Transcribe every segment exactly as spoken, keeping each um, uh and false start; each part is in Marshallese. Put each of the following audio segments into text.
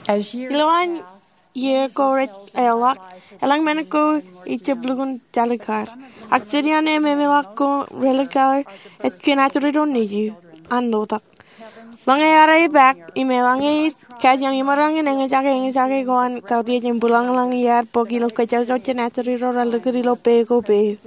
Ilowaan iiō ko rej eḷḷọk, elōñ men ko ejab lukkuun talikar. Ak jidiañ im emeḷọk ko relikar ej kōn Asorio Nejū an lotak. Ḷōñe ear epaak im eḷaññe ij kajjioñ imaroñ in eñjake eñjake ko an kautiej im bwilōñḷōñ iar bōk ilo kōjojak jān Asoriro raar likūt ilo pā ko pā.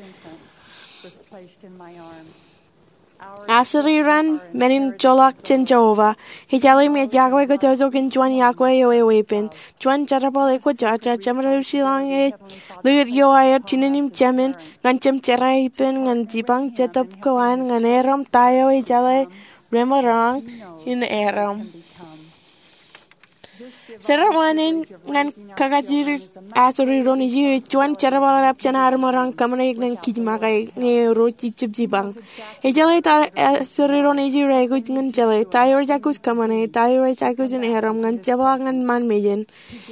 Asorio an men in joḷọk jān Jeova. Ij ālim ej yokwe kōjojak in juon yokwe eo eweeppān. Juon jerbal ekwōjarjar, jemed eo ij ilọk ej likūt iowaer jinen im jemān ñan jemjerā ippān ñan jipañ jetōb ko an ñan erom ta eo ejeḷā remaroñ in erom. Seremoni in ñan kakajjitōk Asorio Nejū ej juon jerbal ḷap jān ad maroñ kōṃṃane ñan kij make ñe ro ij jab jipañ. Ejeḷā ta Asorio Nejū rej aikuj in jeḷā, ta eo rej aikuj kōṃṃane, ta eo rej aikuj in erom ñan jepḷaak ñan ṃaan mejān.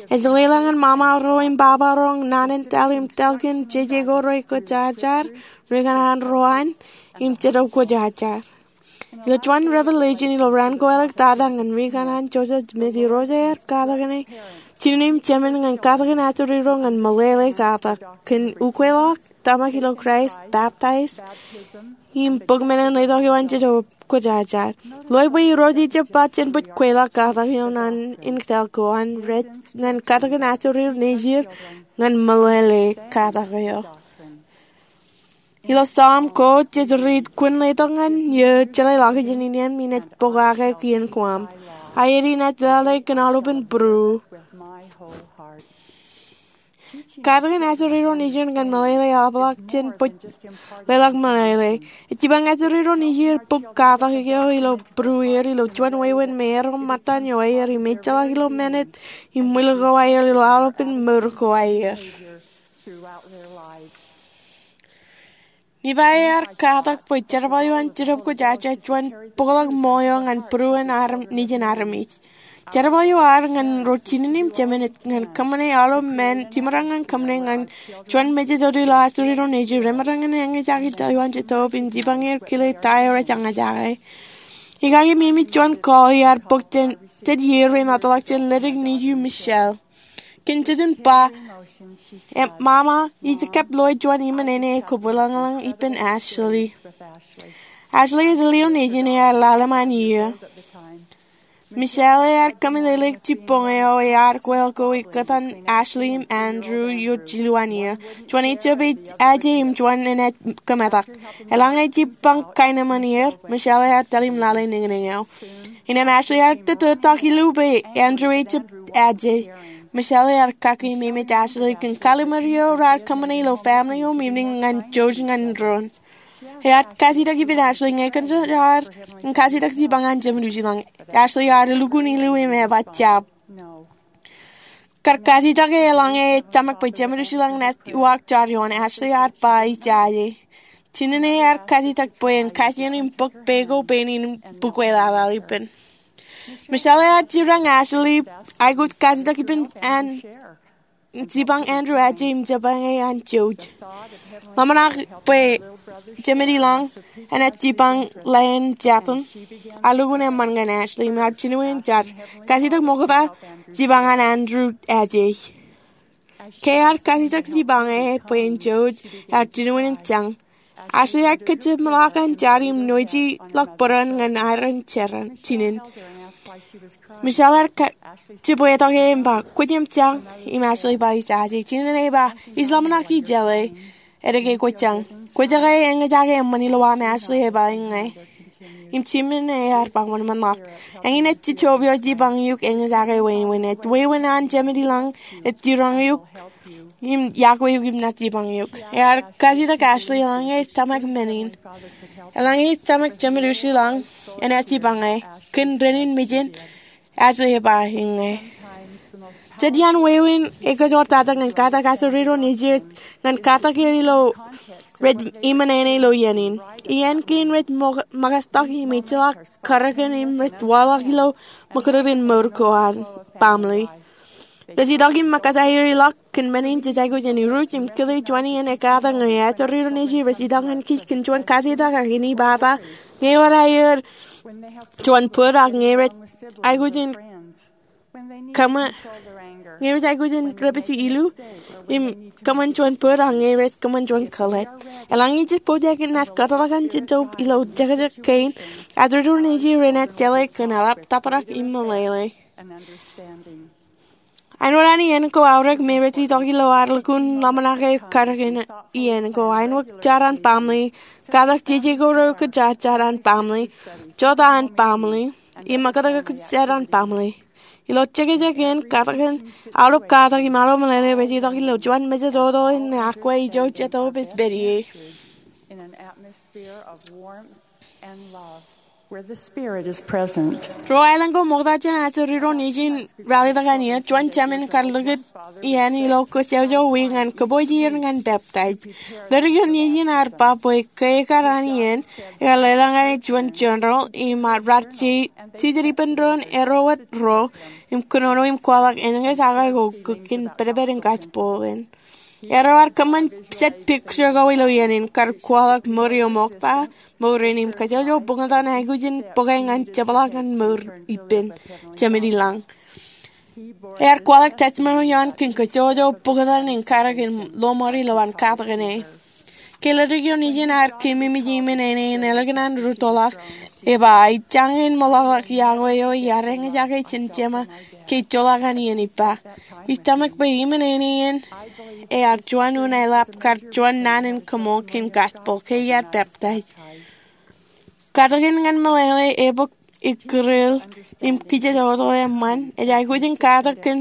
Ej leḷọk ñan ṃaṃa ro im baba ro, naan in taḷ im taḷ kōn jeje ko rej kwōjarjar, ri kanaan ro an, im Jetōb Kwōjarjar. Ilo juon Revelation ilo raan ko āliktata ñan ri kanaan Joseph Smith, Irooj ear katak ine jinen im jemān ñan katakin Asoriro ñan meḷeḷe katak kōn ukweḷọk, tōmak ilo Kraist, baptize, im bōk men in letok eo an Jetōb Kwōjarjar. Ḷoe bwe Irooj ejab ba jen bōk ukweḷọk katak eo naan in kōtḷọk ko an rej ñan katakin Asorio Nejū ñan meḷeḷe katak eo. Ilo Sam ko jej riit, kwōn letok ñan eō jeḷā ḷọkjeṇ in iien, im inaaj pokake kien guam. Aer inaaj lale kōn aolepān būruō. Katakin Asorio Nejū ñan meḷeḷe eḷapḷọk jān bōk leḷọk meḷeḷe. Ej jipañ Asorio Nejū bōk katak eo ilo būrueir ilo juon wāween merom ṃōttan eo aer im ejjeḷọk ilo minit im wūlik ko aer ilo aolepān mour ko aer. Nephi ear katak bwe jerbal eo an Jetōb Kwōjarjar ej juon bōkḷọk ṃool eo ñan būruon nejin armej. Jerbal eo ear ñan ro jinen im jemān ej ñan kōṃṃane aolep men, jiṃṃaṃṃan kōṃṃane ñan juon mejān ilo Asorio Nejū remaroñ in eñjake taḷ eo an Jetōb im jipañ er kile ta eo rej eñjake. Ikaki, meñe juon call ear bōk jān jet iiō remootḷọk jān ledik nejū Michelle. Kōn jejin ba, ṃaṃa, ij kab loe juon iṃōṇōṇō kobwilōñlōñ ippān Ashley. Ashley ej lio nejin ear lale ṃaan iiō. Michelle ear kōmeḷeḷeik jibboñ eo ear kweḷ ko ekōtan Ashley im Andrew ilo jilu an iiō. Juon ejjab aje im juon enaaj kōmetak. Eḷaññe jipañ kaenōṃṃan er, Michelle ear tōl im lale niñniñ eo. Innem Ashley ear tōtōtak ilo bwe Andrew ejjab aje. Michelle ear kaki im eṃōj Ashley kōn kallim̧ur eo raar kōṃṃane ilo family home evening ñan jouj ñan doon. Ear kajjitōk ippān Ashley ñe kōn jaar in kajjitōk jipañ an Jemed Ushilañ. Ashley ear lukkuun ilo im eba jab. Kar kajjitōk e eḷaññe ej tōmak bwe Jemed Ushilañ enaaj uwaak jar ioon. Ashley ear ba ijaje. Jinen ear kajjitōk bwe en kajjien im bōk pā ko pā in bukwe laḷaḷ ippān. Michelle ear jerañ Ashley aikuj kajjitōk ippān an jipañ Andrew aje im jipañ e an jouj. Ḷōmṇak bwe Jemed Ilañ enaaj jipañ ḷein Jatan, ear lukkuun eṃṃan ñan Ashley im ear jinoin jar. Kajjitōk ṃokta jipañ an Andrew aje. Ke ear kajjitōk jipañ e bwe en jouj, ear jinoin jañ. Ashley ear kōjepḷọk an jar im nojeḷọk bōran ñan aer jerañ jinen. Michelle ear kajjitōk e im ba, kwōj im jañ? Im Ashley ba ijaje. Jinen eba, ij ḷōmṇak ijeḷā. Edeke kwōj jañ. Kwōjake eñjake eṃṃan ilowaan, Ashley eba iññā. Im jinen ear ba wōnṃaanḷọk. Eñin ej jejjab eo jipañ eok eñjake wāween. Ej wāween an Jemed Ilañ ej jiroñ eok im iọkwe eok im naaj jipañ eok. Ear kajjitōk Ashley eḷaññe ej tōmak men in. Eḷaññe ej tōmak Jemed Ushilañ enaaj jipañ e. Kōn dān in mejān, Ashley eba iññā. Jet iaan wāween ekōjparok tata ñan katak Asorio Nejū ej ñan katak er ilo rej iṃōṇōṇō ilo iien in. Iien kein rej ṃōkajtak im ejjeḷọk kōrā kōn im rej waḷọk ilo ṃōkajtak in mour ko an baaṃle. Rej itok im ṃōkajtak er ḷọk kōn men in jej aikuj in iruj im kile juon iien ekkatak ñe Asorio Nejū rej itok ñan kij kōn juon kajjitōk ak inepata ñe ewōr aer juon bōd ak ñe rej aikuj in kōṃṃan, ñe rej aikuj in dāpij ilu im kōṃṃan juon bōd, ak ñe rej kōṃṃan juon kōḷḷā. Eḷaññe jej pojak in naaj kōtḷọk an jitōb ilo jekjek kein, ajri ro nejier renaaj jeḷā kōn eḷap tōprak im meḷeḷe. Āinwōt an iien ko aorōk me rej itok ilo ad lukkuun ḷōmṇak e karōk in iien ko, āinwōt jar an baaṃle, katak jeje ko ro kōj jar an baaṃle, jota an baaṃle, im ṃōkaj kōj jar an baaṃle. Ilo jekjek in, katak in, aolep katak im aolep meḷeḷe rej itok ilo juon mejatoto in akwe ijo Jetōb ej pād ie. Ro aelōñ ko ṃokta jān ajri ro nejier in ralitōk ñan eō, juon jemān kar likūt iien ilo kōjjojjo wiik ñan kōpooj er ñan peptaij. Leddik eo nejier in ear ba bwe ke ekar an iien, ekar leḷọk ñan juon jeneral im raar jejjet ippān doon erro wōt ro im kōnono im kwaḷọk eñin kōjake ko kōn pedped in gospel in. Erro ear kōṃṃan jet picture ko ilo iien in kar kwaḷọk mour eo ṃokta, mour in im kōjjojjo bōktan aikuj in bōke ñan jepḷaak ñan mour ippān Jemedlañ. Ear kwaḷọk testimony eo an kōn kōjjojjo bōktan in karōk in lọmọọr ilowaan katakin e. Ke leddik eo nejier in ear keememej iṃōn āne in ālikin an rūttoḷọk, eba, ij jañin meḷọkḷọk iọkwe eo iar eñjake jān jema ke ejjeḷọk an iien ippa. Ij tōmak bwe iṃōn āne in ear juon unin eḷap kar juon naan in kaṃool kōn gospel ke iar peptaij. Katakin ñan meḷeḷe, ebōk, ikkūrel, im kōjjetoto eṃṃan ej aikuj in katak kōn,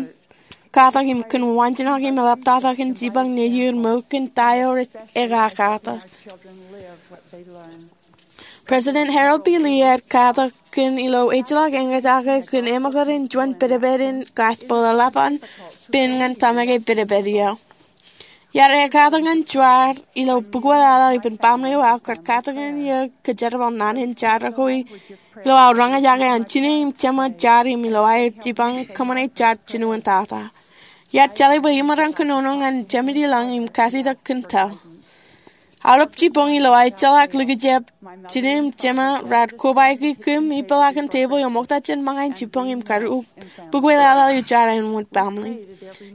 katak im kōn waanjoñak im eḷaptata kōn jipañ nejier mour kōn ta eo rej ekakatak. President Harold B. Lee ear katak kōn ilo ejjeḷọk eñjake kōn eṃōkaj in juon pedped in gospel eḷap an pen ñan tōmak e pedped eo. Iar ekkatak ñan jar ilo bukwe laḷaḷ ippān baaṃle eo aō kar katakin eō kōjerbal naan in jar ko ilo aō roñjake an jine im jema jar im ilo aer jipañ kōṃṃane jar jinoin tata. Iar jeḷā bwe imaroñ kōnono ñan Jemedlañ im kautiej kōn ta. Aolep jibboñ ilo aō ejjeḷọk likjab, jine im jema raar kobaiki kōm ipeḷaakin tebōḷ eo ṃokta jān ṃōñā in jibboñ im kar bukwe laḷaḷ ilo jar āinwōt baaṃle.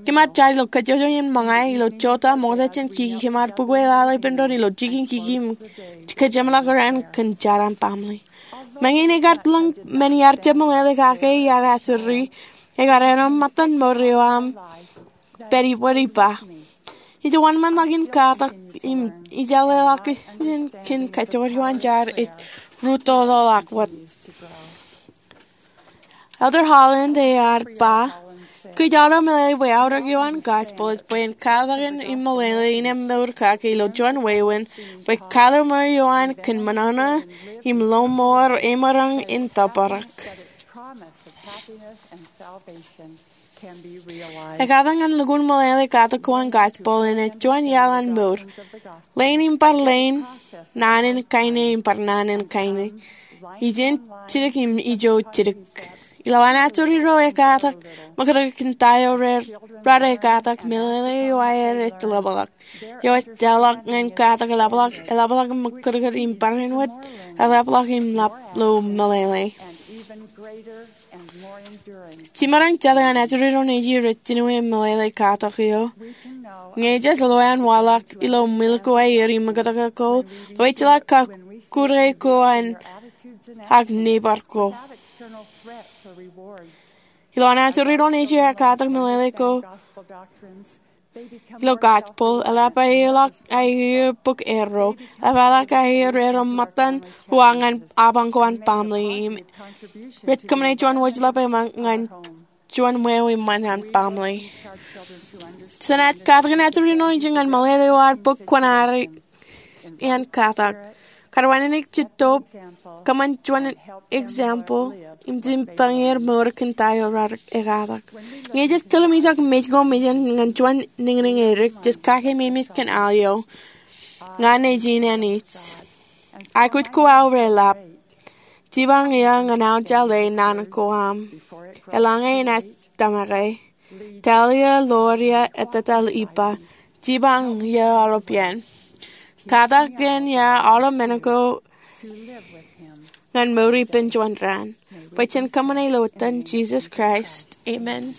Kōm ar jar ilo kōjjojjo iien ṃōñā ilo jota ṃokta jān kiki, kōm ar bukwe laḷaḷ ippān doon ilo jikin kiki im kōjeṃḷọk raṇ kōn jar an baaṃle. Meñe in ekar lōñ men iar jab meḷeḷe kake iar asuri, ekar āinwōt ṃōttan mour eo aṃ pād ibwid ippa. Ij wōnṃaanḷọk in katak im ij leḷọk iien kōn kajjojo eo an jar ej rūttoḷọk wōt. Elder Holland ear ba, kōj auto meḷeḷe bwe aorōk eo an gospel ej bwe en katakin im meḷeḷe innem mour kake ilo juon wāween bwe kwaḷọk mour eo an kōn ṃōṇōṇō im lọmọọr emaroñ in tōprak. Ekkatak ñan lukkuun meḷeḷe katak ko an gospel in ej juon iaḷ an mour. Leen im bar leen, naan in kain im bar naan in kain. Ijin jidik im ijo jidik. Ilowaan asuri ro ekkatak, ṃōkaj kōn ta eo raar ekkatak, meḷeḷe eo aer ej ḷapḷọk. Eo ej tōmak ñan katak eḷapḷọk, eḷapḷọk ṃōkaj im barāinwōt, eḷapḷọk im ḷap ilo meḷeḷe. Jiṃaroñ jete an ajri ro nejier rej jino im meḷeḷe katak eo. Ñe jej loeanwaḷọk ilo ṃwil ko aer im ṃōkaj ko, ḷeo ejjeḷọk kọkkure ko an ak neighbor ko. Ilowaan ajri ro nejier ekkatak meḷeḷe ko ilo gospel, eḷap aeḷọk aer bōk erro, eḷap aeḷọk aer erro ṃōttan uwaak ñan apañ ko an baaṃle im rej kōṃṃane juon wōjḷap eṃṃan ñan juon wāween eṃṃan an baaṃle. Jenaaj katakin ajri ro nejier ñan meḷeḷe eo ear bōk kuṇaer in katak. Kar wānōk jitōb, kōṃṃan juon example, im jipañ er mour kōn ta eo raar ekkatak. Ñe jej tilōmijak mej ko mejān ñan juon niñniñ edik, jej kake memes kōn al eo, ña nejin Anij. Aikuj ko aō reḷap. Jipañ eō ñan aō jeḷā naan ko aṃ. Eḷaññe enaaj tōmak e. Talia, Loria, etetal ippa. Jipañ eō aolep iien. Katak kōn eō aolep men ko ñan mour ippān juon raan. Bwe jen kōṃṃane ilo etan Jisōs Kraist, amen.